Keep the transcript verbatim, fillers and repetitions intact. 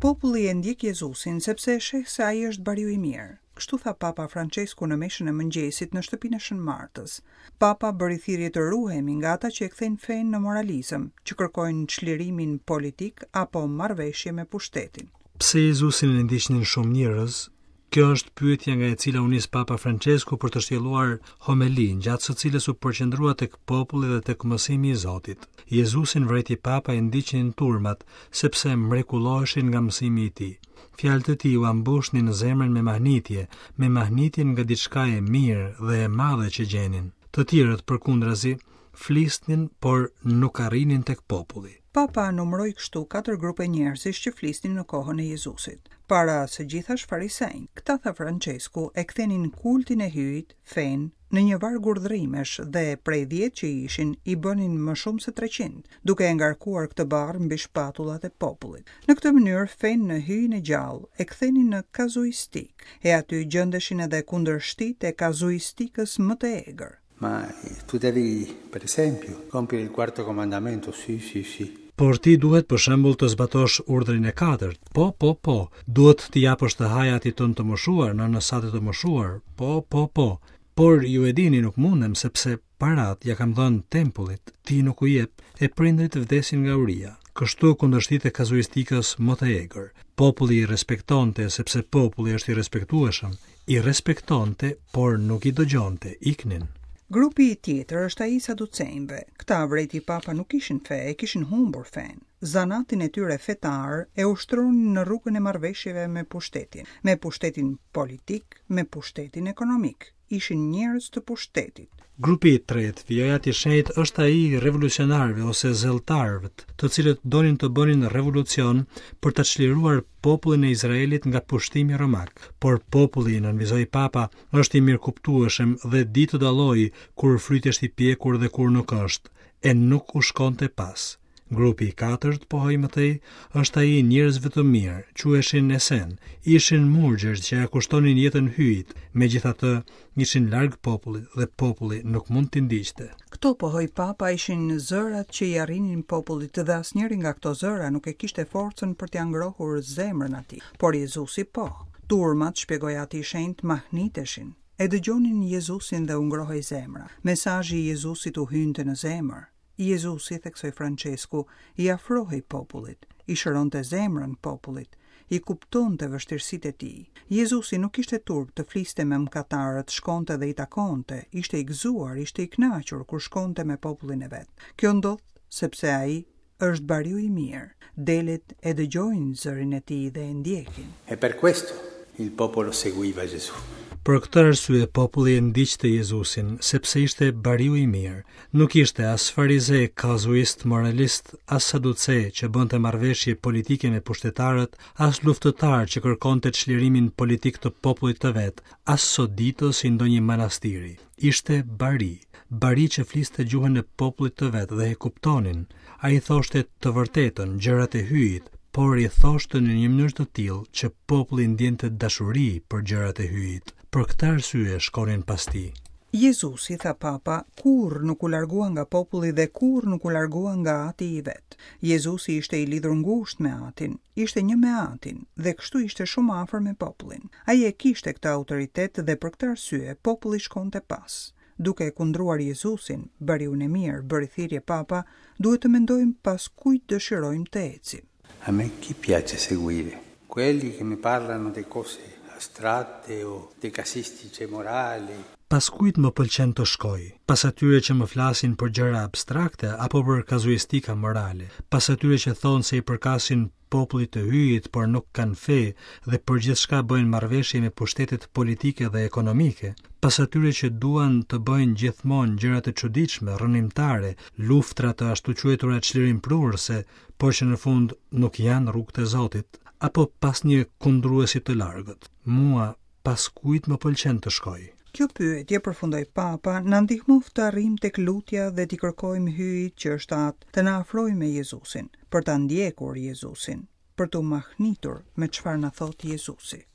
Populli e ndjek Jezusin sepse e sheh se ai është bariu i mirë. Kështu tha Papa Francesku në meshën e mëngjesit në shtëpinë e Shën Martës. Papa bëri thirrje të ruhemi nga ata që e kthejnë fenë në moralizëm, që kërkojnë çlirimin politik apo marrëveshje me pushtetin. Pse Jezusin e ndiqnin shumë njerëz? Kjo është pyetja nga e cila u nis Papa Francesku për të shtjelluar homelinë, gjatë së cilës u përqendrua tek populli dhe tek mësimi i Zotit. Jezusin vrejti Papa e ndiqnin turmat, sepse mrekulloheshin nga mësimi i tij. Fjalët e tij ua mbushnin zemrën me mahnitje, me mahnitjen nga diçka e mirë dhe e madhe që gjenin. Të tjerët përkundrazi flisnin, por nuk arrinin tek populli. Papa numëroi kështu katër grupe njerëzish që flisnin në kohën e Jezusit. Para së gjithash farisenj. Këta, tha Francesku, e kthenin kultin e Hyjit, fenë, në një varg urdhërimesh dhe prej dhjetë që ishin i bënin më shumë se treqind, duke e ngarkuar këtë barrë mbi shpatullat e popullit. Në këtë mënyrë fenë në Hyjin e gjallë e kthenin në kazuistik, e aty gjendeshin edhe kundërshtitë e kazuistikës më të egër. Ma tu devi, per esempio, compiere il quarto comandamento, sì, sì, sì. Por ti duhet për shembull të zbatosh urdhrin e katërt. Po, po, po. Duhet t'i japësh të hajë atit tënd të moshuar, nënës sate të moshuar. Po, po, po. Por ju e dini, nuk mundem sepse parat ja kam dhënë tempullit, ti nuk u jep, e prindrit vdesin nga uria. Kështu kundërshtitë e kazuistikës më të egër. Populli i respektonte sepse populli është i respektueshëm. I respektonte, por nuk i dëgjonte, iknin. Grupi i tjetër është ai i saducenjve. Këta, vrejti Papa, nuk kishin fe, e kishin humbur fenë. Zanatin e tyre fetar e ushtronin në rrugën e marrëveshjeve me pushtetin, me pushtetin politik, me pushtetin ekonomik. Ishin njerëz të pushtetit. Grupi i tretë, vijoi Ati i Shenjtë, është ai i revolucionarëve ose zelltarëve, të cilët donin të bënin revolucion për ta çliruar popullin e Izraelit nga pushtimi romak. Por populli, nënvizoi Papa, është i mirëkuptueshëm dhe di të dallojë kur fryti është i pjekur dhe kur nuk është, e nuk u shkonte pas. Grupi i katërt, pohoi më tej, është ai i njerëzve të mirë, quheshin Esen, ishin murgjër që ja kushtonin jetën Hyjit, megjithatë ishin larg popullit dhe populli nuk mund t'i ndiqte. Këto, pohoi Papa, ishin zërat që i arrinin popullit dhe asnjëri nga këto zëra nuk e kishte forcën për t'ia ngrohur zemrën atij. Por Jezusi po. Turmat, shpjegoi Ati i Shenjtë, mahniteshin. E dëgjonin Jezusin dhe u ngrohej zemra. Mesazhi i Jezusit u hynte në zemër. Jezusi, theksoi Francesku, i afrohej popullit, i shëronte zemrën popullit, i kuptonte vështirësitë e tij. Jezusi nuk kishte turp të fliste me mëkatarët, shkonte dhe i takonte, ishte i gëzuar, ishte i kënaqur kur shkonte me popullin e vet. Kjo ndodh sepse ai është bariu i mirë. Delet e dëgjojnë zërin e tij dhe e ndjekin. E per questo il popolo seguiva Gesù. Për këtë arsye populli e ndiqte Jezusin, sepse ishte bariu i mirë. Nuk ishte as farize, kazuist, moralist, as saduce që bënte marrëveshje politike me pushtetarët, as luftëtar që kërkonte çlirimin politik të popullit të vet, as soditës i ndonjë manastiri. Ishte bari, bari që fliste gjuhën e popullit të vet dhe e kuptonin. Ai thoshte të vërtetën, gjërat e Hyjit, por i thoshte në një mënyrë të tillë që populli ndjente dashuri për gjërat e Hyjit. Për këtë arsye shkonin pas tij. Jezusi, tha Papa, kurrë nuk u largua nga populli dhe kurrë nuk u largua nga ati i vet. Jezusi ishte i lidhur ngushtë me atin, ishte një me atin dhe kështu ishte shumë afër me popullin. Ai e kishte këtë autoritet dhe për këtë arsye populli shkonte pas. Duke e kundruar Jezusin, bariun e mirë, bëri thirrje Papa, duhet të mendojmë pas kujt dëshirojmë të ecim. A me chi piace seguire? Quelli che mi parlano di cose astratte o di casistiche morali. Pas kujt më pëlqen të shkoj? Pas atyre që më flasin për gjëra abstrakte apo për kazuistika morale? Pas atyre që thonë se i përkasin popullit të Hyjit, por nuk kanë fe dhe për gjithçka bëjnë marrëveshje me pushtetet politike dhe ekonomike? Pas atyre që duan të bëjnë gjithmonë gjëra të çuditshme, rrënimtare, luftra të ashtu quajtura çlirimprurëse, por që në fund nuk janë rrugët e Zotit, apo pas një kundruesi të largët? Mua, pas kujt më pëlqen të shkoj? Kjo pyetje, përfundoi Papa, na ndihmoftë të arrijmë tek lutja dhe t'i kërkojmë Hyjit që është Atë, të na afrojë me Jezusin, për ta ndjekur Jezusin, për t'u mahnitur me çfarë na thotë Jezusi.